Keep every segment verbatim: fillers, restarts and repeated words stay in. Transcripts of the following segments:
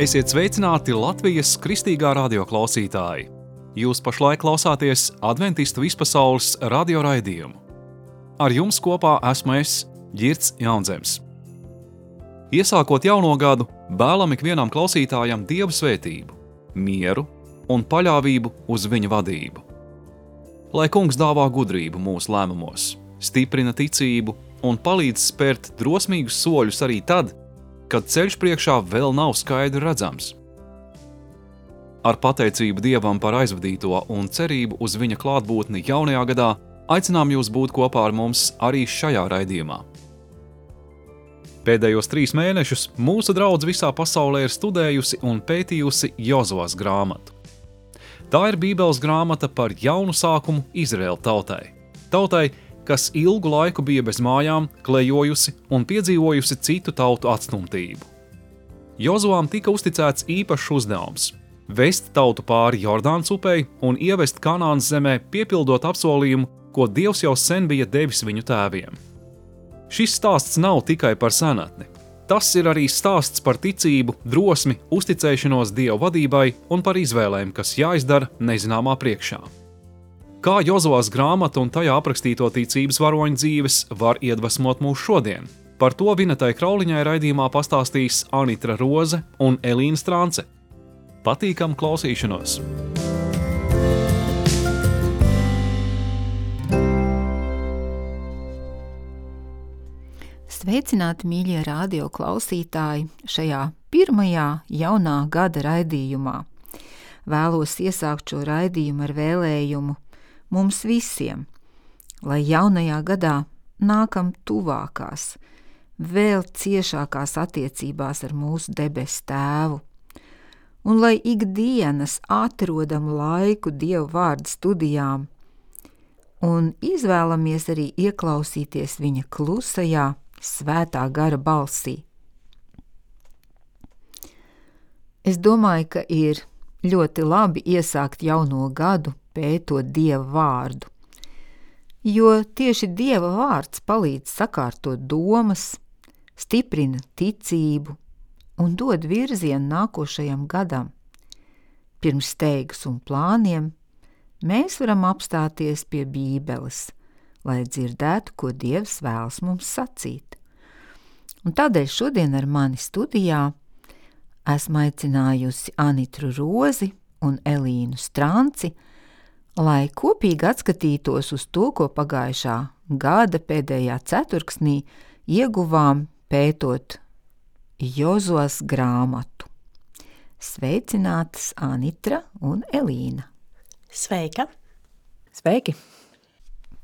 Esiet sveicināti Latvijas kristīgā radio klausītāji! Jūs pašlaik klausāties Adventistu vispasaules radio raidījumu. Ar jums kopā esmu es, Ģirds Jaunzems. Iesākot jauno gadu, vēlam ikvienam klausītājam Dievu svētību, mieru un paļāvību uz viņa vadību. Lai Kungs dāvā gudrību mūsu lēmumos, stiprina ticību un palīdz spērt drosmīgus soļus arī tad, kad ceļš priekšā vēl nav skaidri redzams. Ar pateicību Dievam par aizvadīto un cerību uz viņa klātbūtni jaunajā gadā aicinām jūs būt kopā ar mums arī šajā raidījumā. Pēdējos trīs mēnešus mūsu draudze visā pasaulē ir studējusi un pētījusi Jozuvas grāmatu. Tā ir Bībeles grāmata par jaunu sākumu Izraēla tautai. Tautai, kas ilgu laiku bija bez mājām, klejojusi un piedzīvojusi citu tautu atstumtību. Jozuvām tika uzticēts īpašs uzdevums – vest tautu pāri Jordānas upei un ievest Kanānas zemē, piepildot apsolījumu, ko Dievs jau sen bija devis viņu tēviem. Šis stāsts nav tikai par senatni. Tas ir arī stāsts par ticību, drosmi, uzticēšanos Dieva vadībai un par izvēlēm, kas jāizdara nezināmā priekšā. Kā Jozuvas grāmata un tajā aprakstīto ticības varoņu dzīves var iedvesmot mūs šodien? Par to Vinetai Krauliņai raidījumā pastāstīs Anitra Roze un Elīna Strance. Patīkam klausīšanos! Sveicināti, mīļie radio klausītāji, šajā pirmajā jaunā gada raidījumā. Vēlos iesākt šo raidījumu ar vēlējumu mums visiem, lai jaunajā gadā nākam tuvākās, vēl ciešākās attiecībās ar mūsu debesu tēvu, un lai ikdienas atrodam laiku Dieva vārda studijām un izvēlamies arī ieklausīties viņa klusajā, svētā gara balsī. Es domāju, ka ir ļoti labi iesākt jauno gadu pētot Dieva vārdu, jo tieši Dieva vārds palīdz sakārtot domas, stiprina ticību un dod virzienu nākošajam gadam. Pirms steigas un plāniem mēs varam apstāties pie Bībeles, lai dzirdētu, ko Dievs vēlas mums sacīt. Un tādēļ šodien ar mani studijā esmu aicinājusi Anitru Rozi un Elīnu Stranci, lai kopīgi atskatītos uz to, ko pagājušā gada pēdējā ceturksnī ieguvām pētot Jozuvas grāmatu. Sveicinātas Anitra un Elīna. Sveika! Sveiki!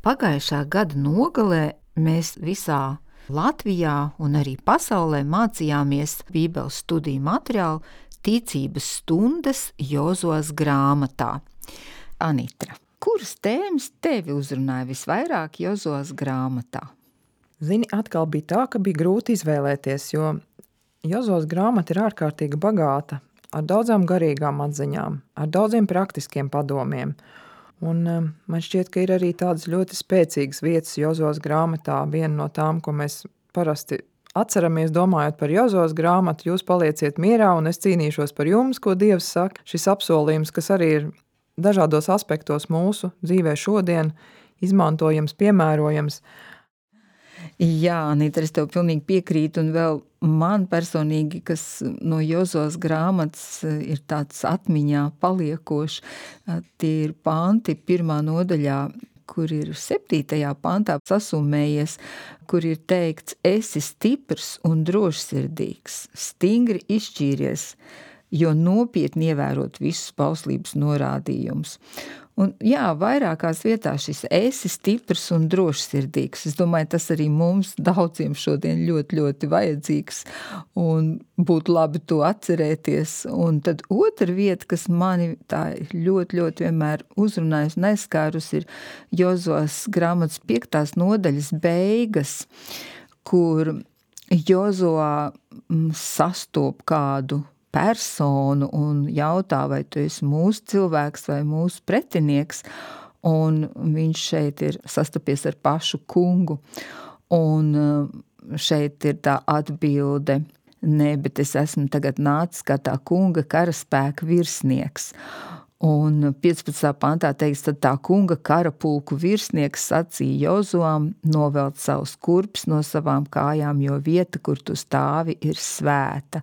Pagājušā gada nogalē mēs visā Latvijā un arī pasaulē mācījāmies Bībeles studiju materiālu ticības stundas Jozuvas grāmatā. Anitra, kuras tēmas tevi uzrunāja visvairāk Jozuvas grāmatā? Zini, atkal bija tā, ka bija grūti izvēlēties, jo Jozuvas grāmata ir ārkārtīgi bagāta ar daudzām garīgām atziņām, ar daudziem praktiskiem padomiem. Un um, man šķiet, ka ir arī tādas ļoti spēcīgas vietas Jozuvas grāmatā. Viena no tām, ko mēs parasti atceramies, domājot par Jozuvas grāmatu, jūs palieciet mierā un es cīnīšos par jums, ko Dievs saka. Šis apsolījums, kas arī ir dažādos aspektos mūsu dzīvē šodien, izmantojams, piemērojams. Jā, Anita, es tev pilnīgi piekrītu, un vēl man personīgi, kas no Jozuvas grāmatas ir tāds atmiņā paliekošs, tie ir panti pirmā nodaļā, kur ir septītajā pantā sasumējies, kur ir teikts: esi stiprs un drošsirdīgs, stingri izšķīries, jo nopietni ievērot visus bauslības norādījumus. Un jā, vairākās vietās šis esi stiprs un drošsirdīgs. Es domāju, tas arī mums daudziem šodien ļoti, ļoti vajadzīgs un būtu labi to atcerēties. Un tad otra vieta, kas mani tā ļoti, ļoti vienmēr uzrunājusi un aizskārus, ir Jozuvas grāmatas piektās nodaļas beigas, kur Jozua sastop kādu personu un jautā, vai tu esi mūsu cilvēks vai mūsu pretinieks, un viņš šeit ir sastapies ar pašu kungu, un šeit ir tā atbilde: Nē, bet es esmu tagad nācis kā tā kunga karaspēka virsnieks. Un piecpadsmitā pantā teiks, tad tā kunga karapulku virsnieks sacīja Jozuam novelt savus kurpes no savām kājām, jo vieta, kur tu stāvi, ir svēta.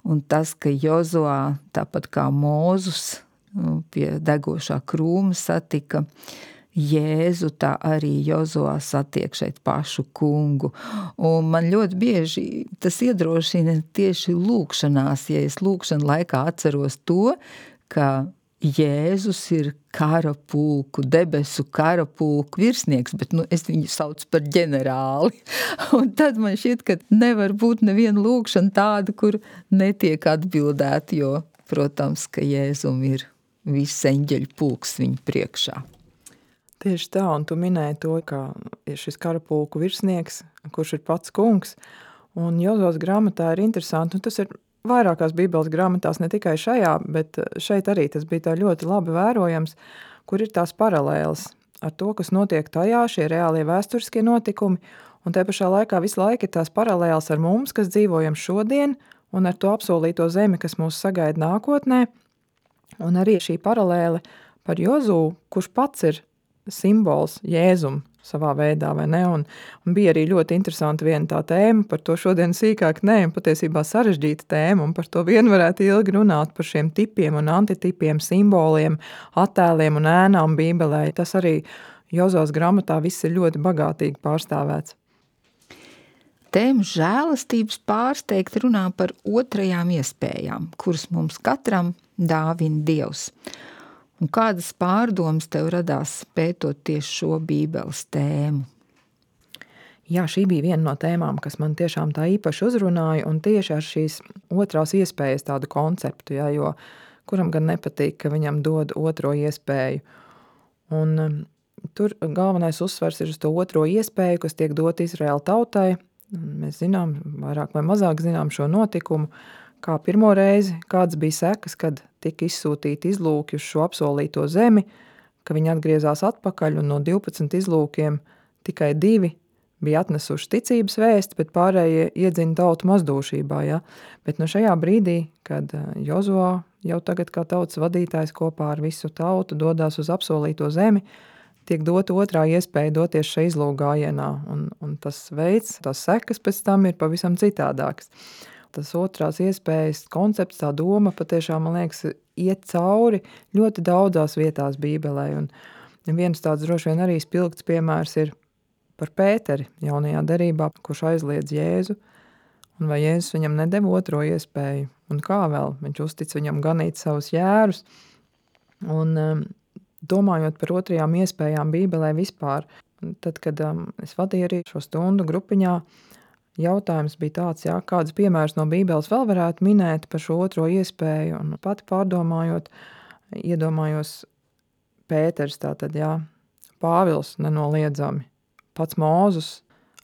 Un tas, ka Jozuā, tāpat kā Mūzus pie degošā krūma satika Jēzu, tā arī Jozuā satiek šeit pašu kungu. Un man ļoti bieži tas iedrošina tieši lūkšanās, ja es lūkšanu laikā atceros to, ka Jēzus ir karapulku, debesu karapulku virsnieks, bet nu, es viņu saucu par ģenerāli. Un tad man šķiet, ka nevar būt neviena lūkšana tāda, kur netiek atbildēta, jo, protams, ka Jēzum ir viss eņģeļu pulks viņa priekšā. Tieši tā, un tu minēji to, ka ir šis karapulku virsnieks, kurš ir pats kungs, un Jozos grāmatā ir interesanti, un tas ir vairākās Bībeles grāmatās, ne tikai šajā, bet šeit arī tas bija tā ļoti labi vērojams, kur ir tās paralēles ar to, kas notiek tajā, šie reālie vēsturiskie notikumi, un te pašā laikā visu laiku ir tās paralēles ar mums, kas dzīvojam šodien, un ar to apsolīto zemi, kas mūs sagaida nākotnē, un arī šī paralēle par Jozū, kurš pats ir simbols Jēzum savā veidā, vai ne? Un, un bija arī ļoti interesanti viena tā tēma, par to šodien sīkāk ne, un patiesībā sarežģīta tēma, un par to vien varētu ilgi runāt par šiem tipiem un antitipiem, simboliem, attēliem un ēnām Bībelē. Tas arī Jozos grāmatā viss ir ļoti bagātīgi pārstāvēts. Tēma žēlastības pārsteigti runā par otrajām iespējām, kuras mums katram dāvina Dievs. Un kādas pārdomas tev radās pētot tieši šo Bībeles tēmu? Jā, šī bija viena no tēmām, kas man tiešām tā īpaši uzrunāja, un tieši ar šīs otrās iespējas tādu konceptu, jā, jo kuram gan nepatīk, ka viņam dod otro iespēju. Un um, tur galvenais uzsvars ir uz to otro iespēju, kas tiek dot Izraēla tautai. Mēs zinām, vairāk vai mazāk zinām šo notikumu, kā pirmo reizi, kāds bija sekas, kad tika izsūtīti izlūki uz šo apsolīto zemi, ka viņi atgriezās atpakaļ, un no divpadsmit izlūkiem tikai divi bija atnesuši ticības vēsti, bet pārējie iedzina tautu mazdūšībā. Ja? Bet no šajā brīdī, kad Jozuā jau tagad kā tautas vadītājs kopā ar visu tautu dodās uz apsolīto zemi, tiek dota otrā iespēja doties šai izlūgājienā, un, un tas veids, tās sekas pēc tam ir pavisam citādāks. Tas otrās iespējas koncepts, tā doma patiešām, man liekas, iet cauri ļoti daudzās vietās Bībelē. Un viens tāds droši vien arī spilgts piemērs ir par Pēteri jaunajā derībā, kurš aizliedz Jēzu. Un vai Jēzus viņam nedeva otro iespēju? Un kā vēl? Viņš uztic viņam ganīt savus jērus. Un um, domājot par otrajām iespējām Bībelē vispār, tad, kad um, es vadīju arī šo stundu grupiņā, jautājums bija tāds, jā, kādas piemērs no Bībeles vēl varētu minēt par šo otro iespēju, un pati pārdomājot, iedomājos Pēters, tātad, jā, Pāvils nenoliedzami, pats Mūzus,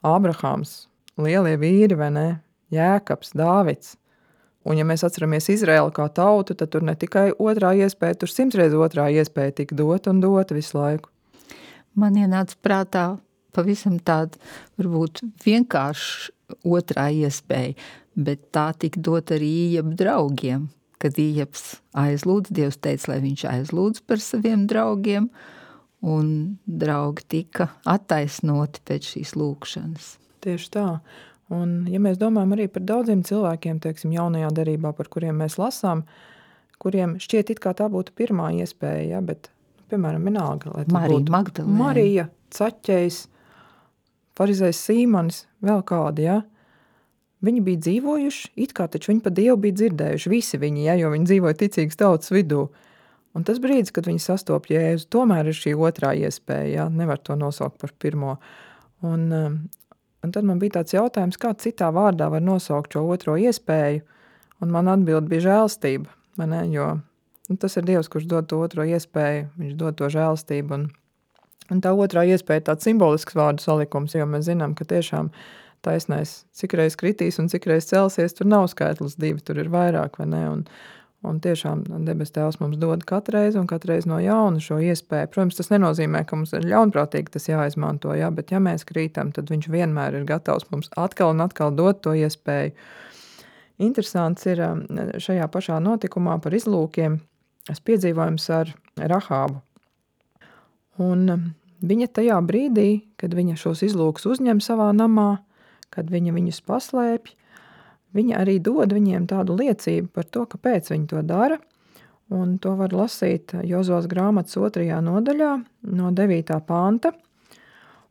Ābrahams, lielie vīri, vai ne, Jēkabs, Dāvids, un ja mēs atceramies Izraēlu kā tautu, tad tur ne tikai otrā iespēja, tur simtreiz otrā iespēja tika dot un dot visu laiku. Man ienāca prātā pavisam tāda, varbūt vienkārši otrā iespēja, bet tā tika dot arī Ījaba draugiem, kad Ījabs aizlūdz, Dievs teica, lai viņš aizlūdz par saviem draugiem, un draugi tika attaisnoti pēc šīs lūkšanas. Tieši tā. Un ja mēs domājam arī par daudziem cilvēkiem, teiksim, jaunajā derībā, par kuriem mēs lasām, kuriem šķiet it kā tā būtu pirmā iespēja, ja, bet, piemēram, vienalga, lai Marija būtu Magdalēna. Marija, Caķejs, farizējs Sīmanis, vēl kādi, ja? Viņi bija dzīvojuši, it kā taču viņi pa Dievu bija dzirdējuši, visi viņi, ja, jo viņi dzīvoja ticīgas tautas vidū. Un tas brīdis, kad viņi sastop Jēzu, tomēr ir šī otrā iespēja, ja? Nevar to nosaukt par pirmo. Un, un tad man bija tāds jautājums, kā citā vārdā var nosaukt šo otro iespēju, un man atbild bija žēlstība, vai ne, jo nu, tas ir Dievs, kurš dod to otro iespēju, viņš dod to žēlstību, un Un tā otrā iespēja tāds simbolisks vārdu salikums, jo mēs zinām, ka tiešām taisnais cikreiz kritīs un cikreiz celsies, tur nav skaitlis divi, tur ir vairāk, vai ne? Un, un tiešām debes Tēvs mums dod katreiz un katreiz no jauna šo iespēju. Protams, tas nenozīmē, ka mums ir ļaunprātīgi tas jāizmanto, jā, bet ja mēs krītam, tad viņš vienmēr ir gatavs mums atkal un atkal dot to iespēju. interesants ir šajā pašā notikumā par izlūkiem es piedzīvojums ar Rahābu. Un viņa tajā brīdī, kad viņa šos izlūkus uzņem savā namā, kad viņa viņus paslēpj, viņa arī dod viņiem tādu liecību par to, kāpēc viņa to dara. Un to var lasīt Jozuas grāmatas otrajā nodaļā no devītā panta.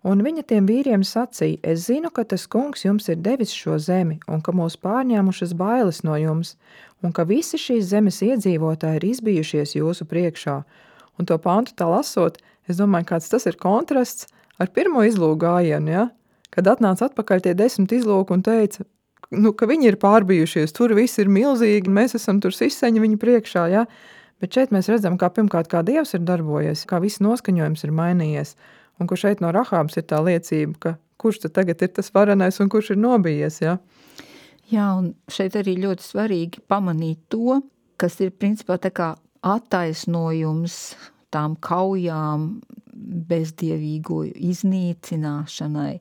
Un viņa tiem vīriem sacīja, es zinu, ka tas kungs jums ir devis šo zemi, un ka mūs pārņēmušas bailes no jums, un ka visi šīs zemes iedzīvotāji ir izbijušies jūsu priekšā. Un to pantu tā lasot, es domāju, kāds tas ir kontrasts ar pirmo izlūku gājienu, ja? Kad atnāca atpakaļ tie desmit izlūki un teica, nu, ka viņi ir pārbijušies, tur viss ir milzīgi, mēs esam tur siseņi viņu priekšā, ja? Bet šeit mēs redzam, kā pirmkārt, kā Dievs ir darbojies, kā viss noskaņojums ir mainījies. Un kur šeit no Rahābas ir tā liecība, ka kurš tad tagad ir tas varenais un kurš ir nobijies, ja? Jā, un šeit arī ļoti svarīgi pamanīt to, kas ir principā tā kā attaisnojums tām kaujām, bezdievīgo iznīcināšanai.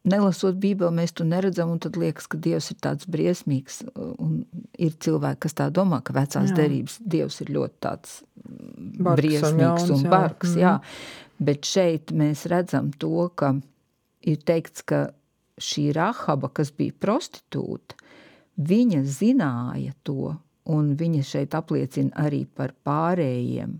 Nelasot Bībeli, mēs to neredzam, un tad liekas, ka Dievs ir tāds briesmīgs, un ir cilvēki, kas tā domā, ka vecās jā. derības Dievs ir ļoti tāds bargs briesmīgs un, jauns, un bargs, jā. jā. Bet šeit mēs redzam to, ka ir teikts, ka šī Rahaba, kas bija prostitūta, viņa zināja to, un viņa šeit apliecina arī par pārējiem,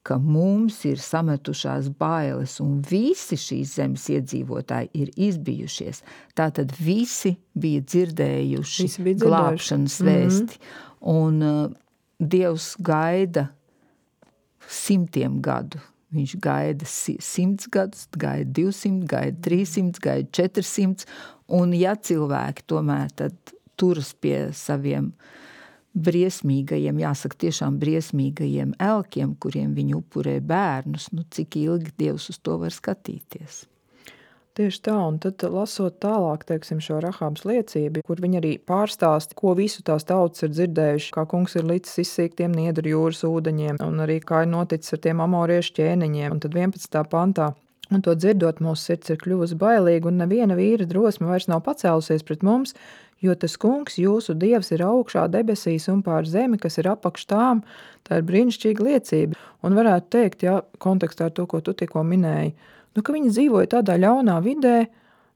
ka mums ir sametušās bailes, un visi šīs zemes iedzīvotāji ir izbijušies. Tātad visi bija dzirdējuši visi bija glābšanas vēsti. Mm-hmm. Un uh, Dievs gaida simtiem gadu. Viņš gaida simts gadus, gaida divsimt, gaida trīsimt, gaida četrsimt, un ja cilvēki tomēr tad turas pie saviem briesmīgajiem, jāsaka tiešām briesmīgajiem elkiem, kuriem viņi upurē bērnus, nu cik ilgi Dievs uz to var skatīties. Tieši tā, un tad lasot tālāk, teiksim, šo Rahābas liecību, kur viņi arī pārstāst, ko visu tās tautas ir dzirdējuši, kā kungs ir licis izsīkt tiem Niedru jūras ūdeņiem, un arī kā ir noticis ar tiem amoriešu ķēniņiem, un tad vienpadsmitā pantā. Un to dzirdot, mūsu sirds ir kļuvusi bailīga, un neviena vīra drosme vairs nav pacēlusies pret mums, jo tas kungs, jūsu Dievs, ir augšā debesīs un pār zemi, kas ir apakš tām, tā ir brīnišķīga liecība. Un varētu teikt, ja, kontekstā ar to, ko tu tikko minēji, nu, ka viņi dzīvoja tādā ļaunā vidē,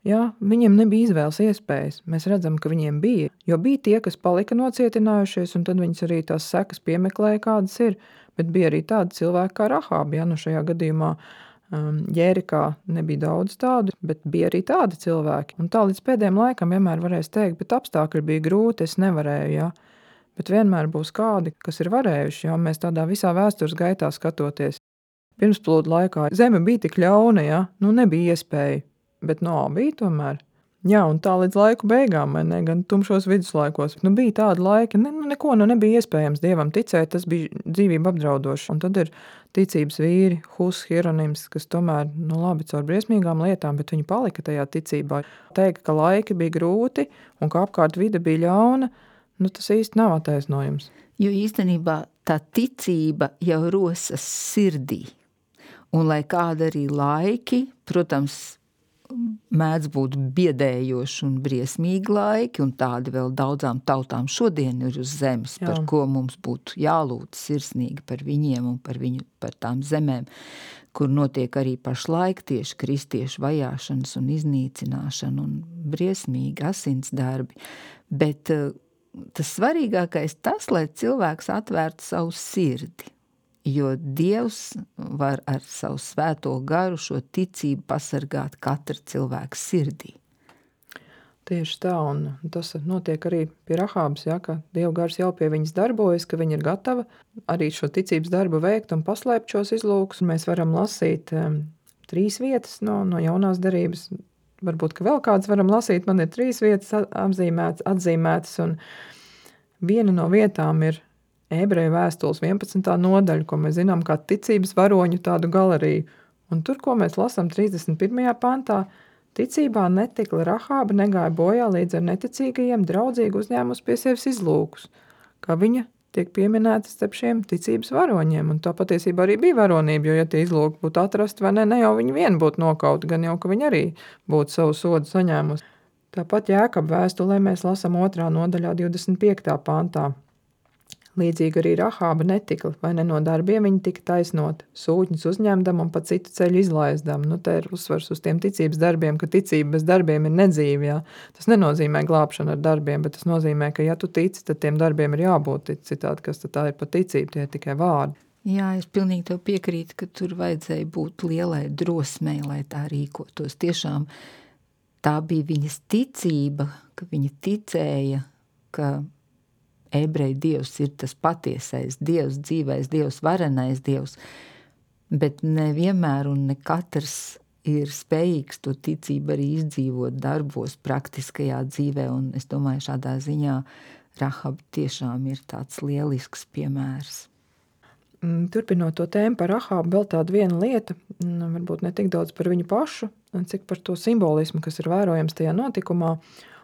ja, viņiem nebija izvēles iespējas. Mēs redzam, ka viņiem bija, jo bija tie, kas palika nocietinājušies, un tad viņas arī tās sekas piemeklēja, kādas ir, bet bija arī tādi cilvēki kā Rahāba, ja, nu šajā gadījumā um, Jērikā nebija daudz tādu, bet bija arī tādi cilvēki. Un tā līdz pēdējiem laikam vienmēr varēs teikt, bet apstākļi bija grūti, es nevarēju, ja. Bet vienmēr būs kādi, kas ir varējuši, ja, mēs tādā visā vēstures gaitā skatoties. Pirmsplūdu laikā zeme bija tik ļauna, ja, nu nebija iespēja, bet no bija tomēr. Jā, un tā līdz laiku beigām, ne, gan tumšos viduslaikos, nu bija tāda laika, ne, nu neko nu nebija iespējams Dievam ticēt, tas bija dzīvība apdraudoši. Un tad ir ticības vīri, Hus, Hieronims, kas tomēr, nu labi, caur briesmīgām lietām, bet viņi palika tajā ticībā. Teikt, ka laiki bija grūti un ka apkārt vide bija ļauna, nu tas īsti nav attaisnojums. Jo īstenībā tā ticība jau rosas sirdī. Un lai kāda arī laiki, protams, mēdz būt biedējoši un briesmīgi laiki, un tādi vēl daudzām tautām šodien ir uz zemes, Jā. Par ko mums būtu jālūdz sirsnīgi par viņiem un par viņu, par tām zemēm, kur notiek arī pašlaik tieši kristiešu vajāšanas un iznīcināšana un briesmīgi asins darbi. Bet tas svarīgākais tas, lai cilvēks atvērtu savu sirdi. Jo Dievs var ar savu svēto garu šo ticību pasargāt katra cilvēka sirdī. Tieši tā, un tas notiek arī pie Rahābas, ja, ka Dieva gars jau pie viņas darbojas, ka viņa ir gatava arī šo ticības darbu veikt un paslēpt šos izlūkus. Mēs varam lasīt um, trīs vietas no, no jaunās derības. Varbūt, ka vēl kāds varam lasīt, man ir trīs vietas apzīmētas, atzīmētas, un viena no vietām ir Ebreju vēstules vienpadsmitā nodaļa, ko mēs zinām kā ticības varoņu tādu galeriju. Un tur, ko mēs lasām trīsdesmit pirmajā pantā, ticībā netikla Rahāba negāja bojā līdz ar neticīgajiem draudzīgi uzņēmus pie sevis izlūkus, kā viņa tiek pieminēta starp šiem ticības varoņiem. Un tā patiesībā arī bija varonība, jo ja tie izlūki būtu atrasti vai ne, ne jau viņi vien būtu nokauti, gan jau, ka viņi arī būtu savu sodu saņēmusi. Tāpat Jēkaba vēstulē mēs lasām otrā nodaļā divdesmit piektā pantā. Līdzīgi arī Rahāba netika, vai ne no darbiem viņa tika taisnot, sūtņus uzņemdam un pa citu ceļu izlaizdam. Nu, te ir uzsvars uz tiem ticības darbiem, ka ticība bez darbiem ir nedzīva, jā. Tas nenozīmē glābšanu ar darbiem, bet tas nozīmē, ka ja tu tici, tad tiem darbiem ir jābūt, citādi, kas tad tā ir pa ticību, tie ir tikai vārdi. Jā, es pilnīgi tev piekrītu, ka tur vajadzēja būt lielai drosmei, lai tā rīkotos. Tiešām tā bija viņas ticība, ka viņa ticēja, ka ebreju dievs ir tas patiesais dievs, dzīvais dievs, varenais dievs, bet nevienmēr un ne katrs ir spējīgs to ticību arī izdzīvot darbos, praktiskajā dzīvē, un es domāju, šādā ziņā Rahaba tiešām ir tāds lielisks piemērs. Turpinot to tēmu par Rahabu, vēl tāda viena lieta, varbūt ne tik daudz par viņu pašu, cik par to simbolismu, kas ir vērojams tajā notikumā.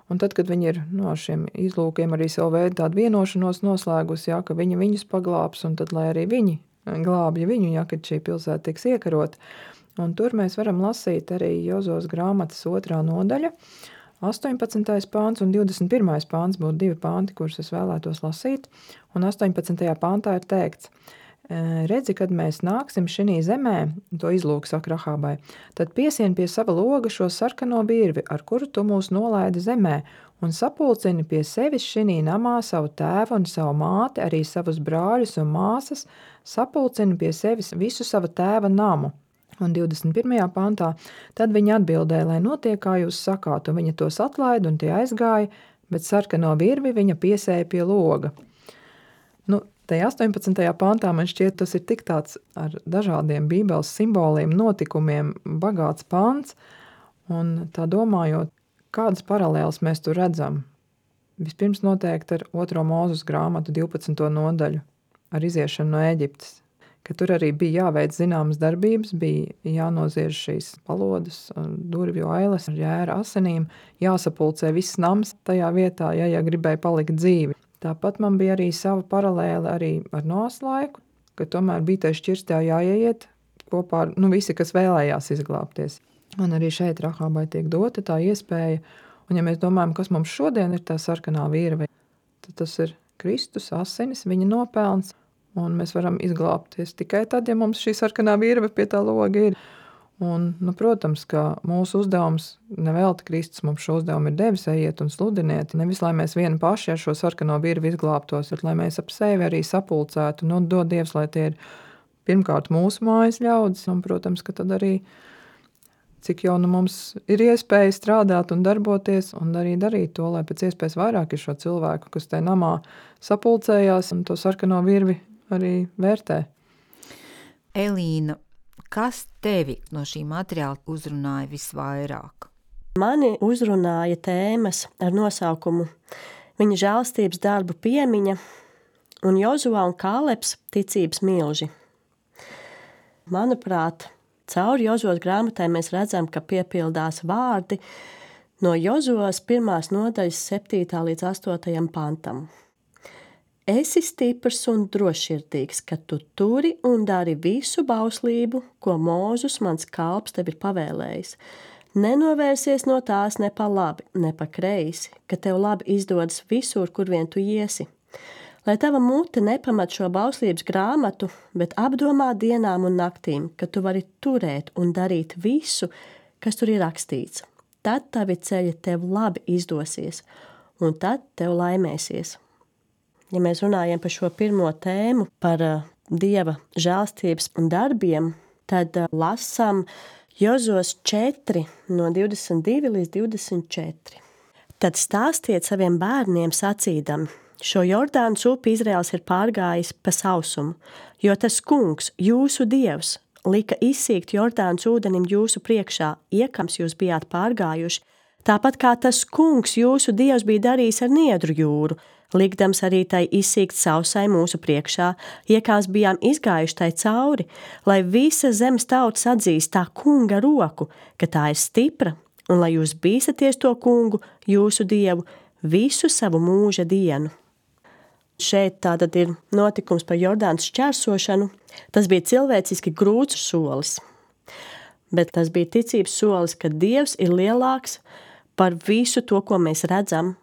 Un tad, kad viņi ir no šiem izlūkiem arī savu veidu tādu vienošanos noslēgusi, jā, ka viņa viņus paglābs, un tad, lai arī viņi glābja viņu, jā, kad šī pilsēta tiks iekarot. Un tur mēs varam lasīt arī Jozos grāmatas otrā nodaļa, astoņpadsmitais pāns un divdesmit pirmais pāns būtu divi pānti, kurus es vēlētos lasīt. Un astoņpadsmitajā pāntā ir teikts: redzi, kad mēs nāksim šinī zemē, to izlūk saka Rahābai, tad piesien pie sava loga šo sarkano virvi, ar kuru tu mūs nolaidi zemē, un sapulcini pie sevis šinī namā savu tēvu un savu māti, arī savus brāļus un māsas, sapulcini pie sevis visu savu tēva namu. Un divdesmit pirmajā pantā, tad viņa atbildēja, lai notiek, kā jūs sakāt, un viņa tos atlaida un tie aizgāja, bet sarkano virvi viņa piesēja pie loga. Nu, tajā astoņpadsmitajā pantā man šķiet, tas ir tik tāds ar dažādiem bībeles simboliem, notikumiem, bagāts pants, un tā domājot, kādas paralēlas mēs tur redzam. Vispirms noteikti ar otro Mūzes grāmatu divpadsmito nodaļu, ar iziešanu no Ēģiptes, ka tur arī bija jāveic zināmas darbības, bija jānoziež šīs palodas, durvju ailes ar jēra asinīm, jāsapulcē viss nams tajā vietā, ja, ja gribēja palikt dzīvi. Tāpat man bija arī sava paralēle arī ar Noas laiku, ka tomēr bija tai šķirstā jāieiet kopā ar nu, visi, kas vēlējās izglābties. Un arī šeit Rahābai tiek dota tā iespēja, un ja mēs domājam, kas mums šodien ir tā sarkanā virve, tad tas ir Kristus asinis, viņa nopelns, un mēs varam izglābties tikai tad, ja mums šī sarkanā virve pie tā loga ir. Un, nu, protams, ka mūsu uzdevums, nevelti Kristus mums šo uzdevumu ir devis, ejiet un sludiniet, nevis lai mēs vieni paši ar šo sarkano virvi izglābtos, bet lai mēs ap sevi arī sapulcētu, nu, dod Dievs, lai tie ir pirmkārt mūsu mājas ļaudis, un, protams, ka tad arī, cik jau nu mums ir iespēja strādāt un darboties, un arī darīt to, lai pēc iespējas vairāk ir šo cilvēku, kas te namā sapulcējās un to sarkano virvi arī vērtē. Elīna, kas tevi no šī materiāla uzrunāja visvairāk? Mani uzrunāja tēmas ar nosaukumu viņa žēlstības darbu piemiņa un Jozua un Kālebs ticības milži. Manuprāt, caur Jozuas grāmatai mēs redzam, ka piepildās vārdi no Jozuas pirmās nodaļas septītā līdz astotajam pantam. Esi stiprs un drošsirdīgs, ka tu turi un dari visu bauslību, ko Mūzes mans kalps tev ir pavēlējis. Nenovērsies no tās ne pa labi, ne pa kreisi, ka tev labi izdodas visur, kur vien tu iesi. Lai tava mute nepamat šo bauslības grāmatu, bet apdomā dienām un naktīm, ka tu vari turēt un darīt visu, kas tur ir rakstīts. Tad tavi ceļi tev labi izdosies, un tad tev laimēsies. Ja mēs runājam par šo pirmo tēmu, par uh, Dieva žēlstības un darbiem, tad uh, lasām Jozos četri no divdesmit divi līdz divdesmit četri. Tad stāstiet saviem bērniem sacīdami, šo Jordānas upi Izraels ir pārgājis pa sausumu, jo tas kungs, jūsu Dievs, lika izsīkt Jordānas ūdenim jūsu priekšā, iekams jūs bijāt pārgājuši, tāpat kā tas kungs, jūsu Dievs, bija darījis ar Niedru jūru, likdams arī tai izsīkt sausai mūsu priekšā, iekās bijām izgājuši tai cauri, lai visa zemes tautas atzīst tā kunga roku, ka tā ir stipra, un lai jūs bīstaties to kungu, jūsu Dievu, visu savu mūža dienu. Šeit tātad ir notikums par Jordānas šķērsošanu. Tas bija cilvēciski grūts solis, bet tas bija ticības solis, ka Dievs ir lielāks par visu to, ko mēs redzam.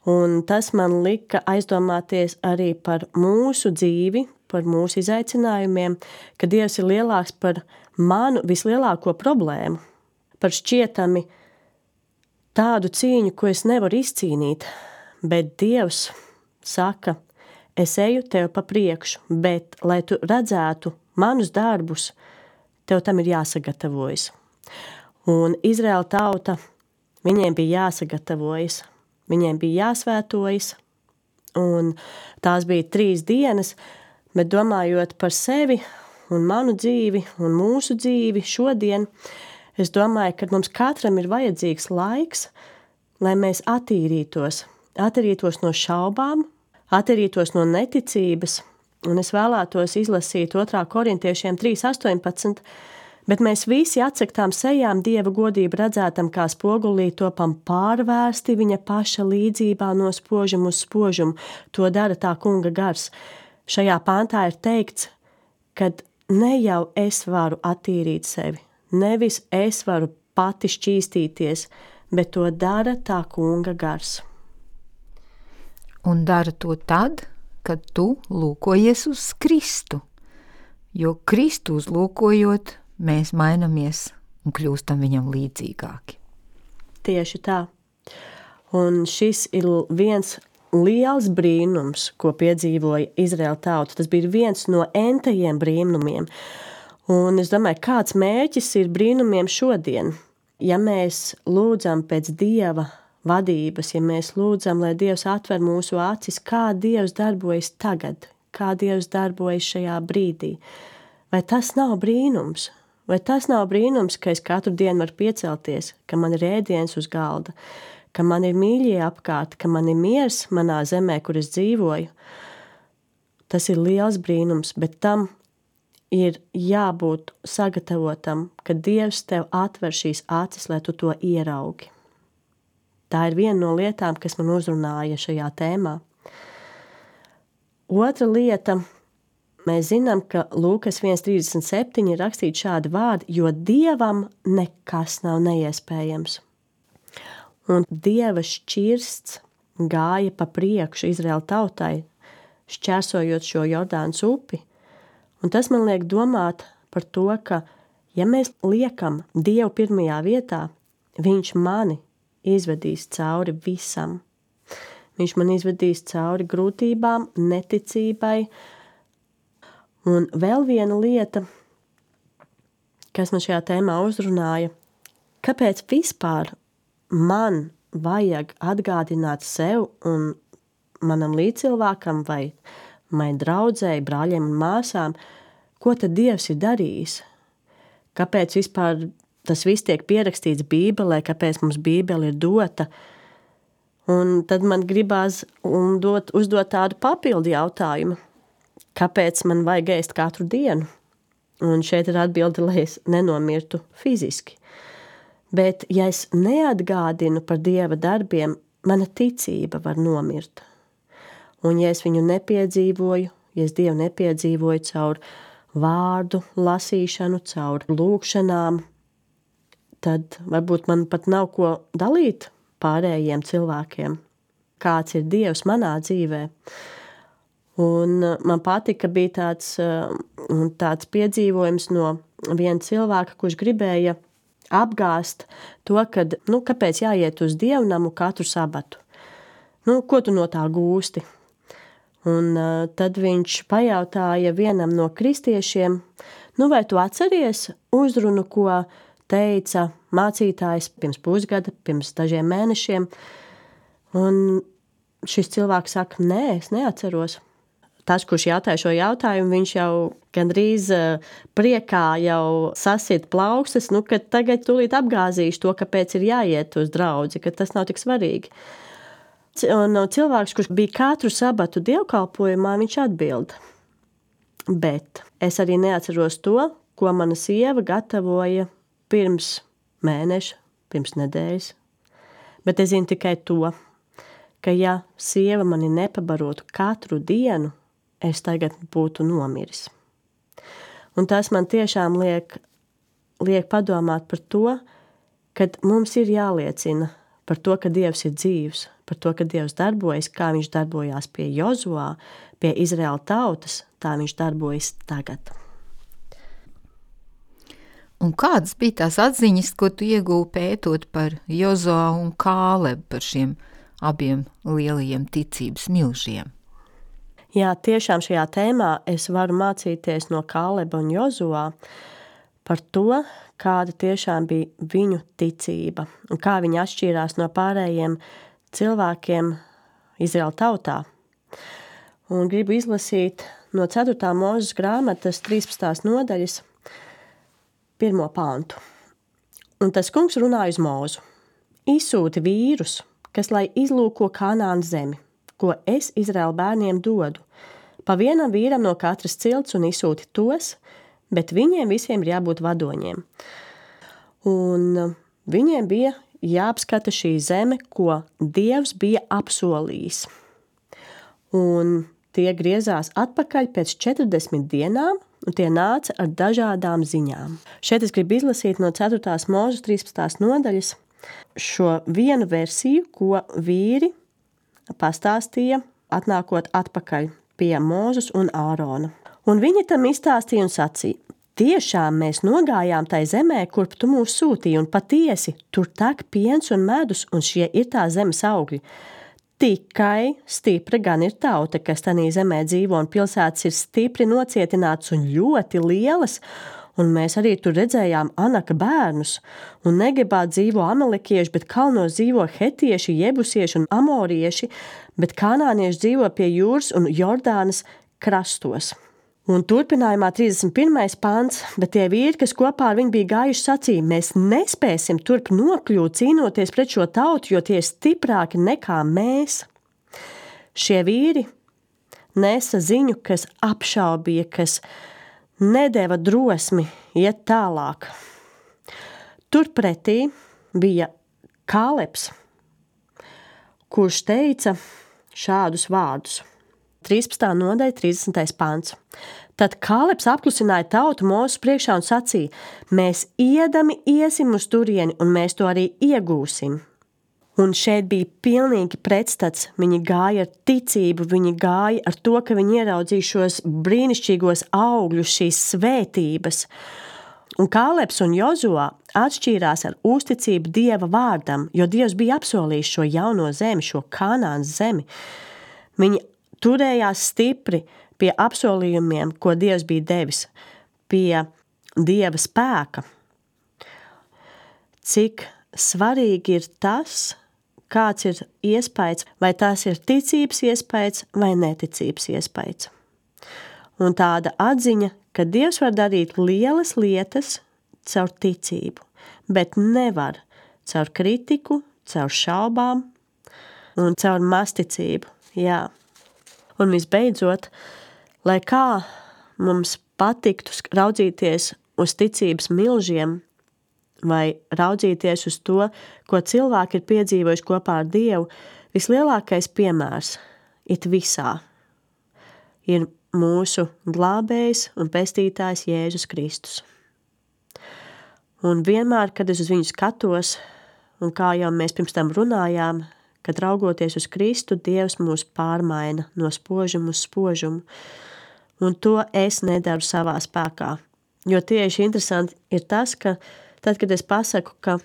Un tas man lika aizdomāties arī par mūsu dzīvi, par mūsu izaicinājumiem, ka Dievs ir lielāks par manu vislielāko problēmu, par šķietami tādu cīņu, ko es nevaru izcīnīt, bet Dievs saka, es eju tev pa priekšu, bet, lai tu redzētu manus darbus, tev tam ir jāsagatavojas. Un Izraēla tauta, viņiem bija jāsagatavojas, viņiem bija jāsvētojas, un tās bija trīs dienas, bet domājot par sevi un manu dzīvi un mūsu dzīvi šodien, es domāju, ka mums katram ir vajadzīgs laiks, lai mēs attīrītos, attīrītos no šaubām, attīrītos no neticības, un es vēlētos izlasīt otrā korintiešiem trīs astoņpadsmit, bet mēs visi atsektām sejām Dieva godību redzētam kā spogulī topam pārvērsti viņa paša līdzībā no spožuma uz spožumu. To dara tā kunga gars. Šajā pāntā ir teikts, kad ne jau es varu attīrīt sevi, nevis es varu pati šķīstīties, bet to dara tā kunga gars. Un dara to tad, kad tu lūkojies uz Kristu, jo Kristu uzlūkojot, mēs mainamies un kļūstam viņam līdzīgāki. Tieši tā. Un šis ir viens liels brīnums, ko piedzīvoja Izraēla tauta. Tas bija viens no entajiem brīnumiem. Un es domāju, kāds mērķis ir brīnumiem šodien? Ja mēs lūdzam pēc Dieva vadības, ja mēs lūdzam, lai Dievs atver mūsu acis, kā Dievs darbojas tagad, kā Dievs darbojas šajā brīdī. Vai tas nav brīnums? Vai tas nav brīnums, ka es katru dienu varu piecelties, ka man ir ēdiens uz galda, ka man ir mīļie apkārt, ka man ir miers manā zemē, kur es dzīvoju? Tas ir liels brīnums, bet tam ir jābūt sagatavotam, ka Dievs tev atver šīs acis, lai tu to ieraugi. Tā ir viena no lietām, kas man uzrunāja šajā tēmā. Otra lieta, mēs zinām, ka Lūkas viens trīsdesmit septiņi ir rakstīts šādi vārdi, jo Dievam nekas nav neiespējams. Un Dieva šķirsts gāja pa priekšu Izraēla tautai, šķērsojot šo Jordānas upi. Un tas man liek domāt par to, ka, ja mēs liekam Dievu pirmajā vietā, viņš mani izvedīs cauri visam. Viņš man izvedīs cauri grūtībām, neticībai. Un vēl viena lieta, kas man šajā tēmā uzrunāja, kāpēc vispār man vajag atgādināt sev un manam līdzcilvēkam vai mai draudzēji, brāļiem un māsām, ko tad Dievs ir darījis? Kāpēc vispār tas viss tiek pierakstīts Bībelē, kāpēc mums Bībele ir dota? Un tad man gribās dot, uzdot tādu papildu jautājumu. Kāpēc man vajag ēst katru dienu? Un šeit ir atbilde, lai es nenomirtu fiziski. Bet, ja es neatgādinu par Dieva darbiem, mana ticība var nomirt. Un ja es viņu nepiedzīvoju, ja es Dievu nepiedzīvoju caur vārdu lasīšanu, caur lūkšanām, tad varbūt man pat nav ko dalīt pārējiem cilvēkiem, kāds ir Dievs manā dzīvē. Un man patika, bija tāds, tāds piedzīvojums no viena cilvēka, kurš gribēja apgāst to, kad, nu, kāpēc jāiet uz dievnamu katru sabatu. Nu, ko tu no tā gūsti? Un uh, tad viņš pajautāja vienam no kristiešiem, nu, vai tu atceries uzrunu, ko teica mācītājs pirms pusgada, pirms dažiem mēnešiem. Un šis cilvēks saka, nē, es neatceros. Tas, kurš jautāja šo jautājumu, viņš jau gandrīz priekā jau sasit plaukstas, nu, ka tagad tūlīt apgāzīšu to, kāpēc ir jāiet uz draudzi, ka tas nav tik svarīgi. Un cilvēks, kurš bija katru sabatu dievkalpojumā, viņš atbild. Bet es arī neatceros to, ko mana sieva gatavoja pirms mēneša, pirms nedēļas. Bet es zinu tikai to, ka ja sieva mani nepabarotu katru dienu, es tagad būtu nomiris. Un tas man tiešām liek, liek padomāt par to, kad mums ir jāliecina par to, ka Dievs ir dzīvs, par to, ka Dievs darbojas, kā viņš darbojās pie Jozuā, pie Izraēla tautas, tā viņš darbojas tagad. Un kādas bija tās atziņas, ko tu iegūji pētot par Jozuā un Kālebu, par šiem abiem lielajiem ticības milžiem? Jā, tiešām šajā tēmā es varu mācīties no Kāleba un Jozuā par to, kāda tiešām bija viņu ticība un kā viņi atšķīrās no pārējiem cilvēkiem Izraēla tautā. Un gribu izlasīt no ceturtā Mūzes grāmatas trīspadsmitās nodaļas pirmo pantu. Un tas kungs runāja uz Mūzu. Izsūti vīrus, kas lai izlūko Kanānas zemi, ko es Izraēla bērniem dodu. Pa vienam vīram no katras cilts un izsūti tos, bet viņiem visiem ir jābūt vadoņiem. Un viņiem bija jāapskata šī zeme, ko Dievs bija apsolījis. Un tie griezās atpakaļ pēc četrdesmit dienām, un tie nāca ar dažādām ziņām. Šeit es gribu izlasīt no ceturtās Mūzes trīspadsmitās nodaļas šo vienu versiju, ko vīri pastāstīja, atnākot atpakaļ pie Mūzes un Ārona. Un viņi tam izstāstīja un sacīja: tiešām mēs nogājām tai zemē, kurp tu mūs sūtīji, un patiesi tur tek piens un medus, un šie ir tā zemes augļi. Tikai stipra gan ir tauta, kas tanī zemē dzīvo, un pilsētas ir stipri nocietināts un ļoti lielas, un mēs arī tur redzējām Anaka bērnus, un Negebā dzīvo amalekieši, bet kalnos dzīvo hetieši, jebusieši un amorieši, bet kanānieši dzīvo pie jūras un Jordānas krastos. Un turpinājumā trīsdesmit pirmais pants, bet tie vīri, kas kopā ar viņu bija gājuši, sacīja: mēs nespēsim turp nokļūt cīnoties pret šo tautu, jo tie ir stiprāki nekā mēs. Šie vīri nesa ziņu, kas apšaubīja, kas nedeva drosmi iet tālāk. Turpretī bija Kālebs, kurš teica šādus vārdus. trīspadsmitā nodaļa, trīsdesmitais pants. Tad Kālebs apklusināja tautu Mūzes priekšā un sacīja: mēs iedami iesim uz turieni, un mēs to arī iegūsim. Un šeit bija pilnīgi pretstats. Viņi gāja ar ticību, viņi gāja ar to, ka viņi ieraudzīja šos brīnišķīgos augļus, šīs svētības. Un Kālebs un Jozuā atšķīrās ar uzticību Dieva vārdam, jo Dievs bija apsolījis šo jauno zemi, šo Kanānas zemi. Viņi turējās stipri pie apsolījumiem, ko Dievs bija devis, pie Dieva spēka. Cik svarīgi ir tas, kāds ir iespējas, vai tas ir ticības iespējas vai neticības iespējas. Un tāda atziņa, ka Dievs var darīt lielas lietas caur ticību, bet nevar caur kritiku, caur šaubām un caur masticību. Jā. Un visbeidzot, lai kā mums patiktu raudzīties uz ticības milžiem vai raudzīties uz to, ko cilvēki ir piedzīvojuši kopā ar Dievu, vislielākais piemērs it visā ir mūsu glābējs un pestītājs Jēzus Kristus. Un vienmēr, kad es uz viņu skatos, un kā jau mēs pirms tam runājām, kad raugoties uz Kristu, Dievs mūs pārmaina no spožuma uz spožumu. Un to es nedaru savā spēkā. Jo tieši interesanti ir tas, ka tad, kad es pasaku, ka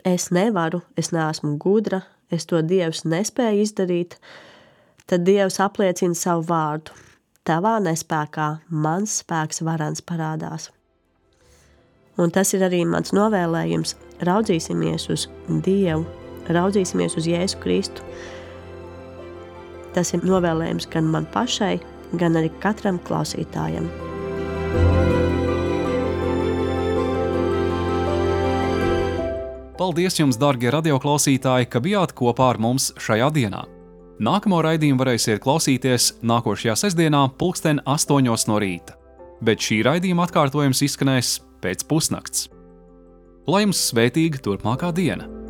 es nevaru, es neesmu gudra, es to Dievs nespēju izdarīt, tad Dievs apliecina savu vārdu. Tavā nespēkā mans spēks varans parādās. Un tas ir arī mans novēlējums. Raudzīsimies uz Dievu, raudzīsimies uz Jēzu Kristu. Tas ir novēlējums gan man pašai, gan arī katram klausītājam. Paldies jums, dargie radioklausītāji, ka bijāt kopā ar mums šajā dienā. Nākamo raidījumu varēsiet klausīties nākošajā sestdienā pulksten astoņos no rīta, bet šī raidījuma atkārtojums izskanēs pēc pusnakts. Lai jums svētīga turpmākā diena!